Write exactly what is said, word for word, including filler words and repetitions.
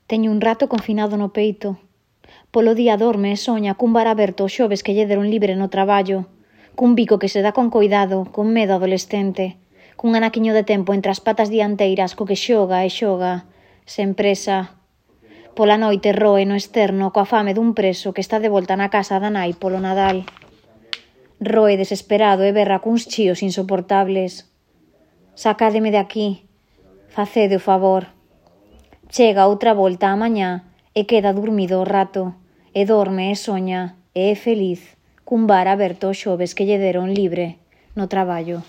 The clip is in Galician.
Teño un rato confinado no peito. Polo día dorme e soña cun bar aberto os xoves que lle deron libre no traballo, cun bico que se dá con coidado, con medo adolescente, cun anaquiño de tempo entre as patas dianteiras co que xoga e xoga, sen presa. Pola noite roe no externo coa fame dun preso que está de volta na casa da nai polo Nadal. Roe desesperado e berra cuns chíos insoportables. Sacádeme de aquí. Facede o favor. Chega outra volta á mañá e queda dormido o rato, e dorme e soña, e é feliz, cun bar aberto os xoves que lle deron libre no traballo.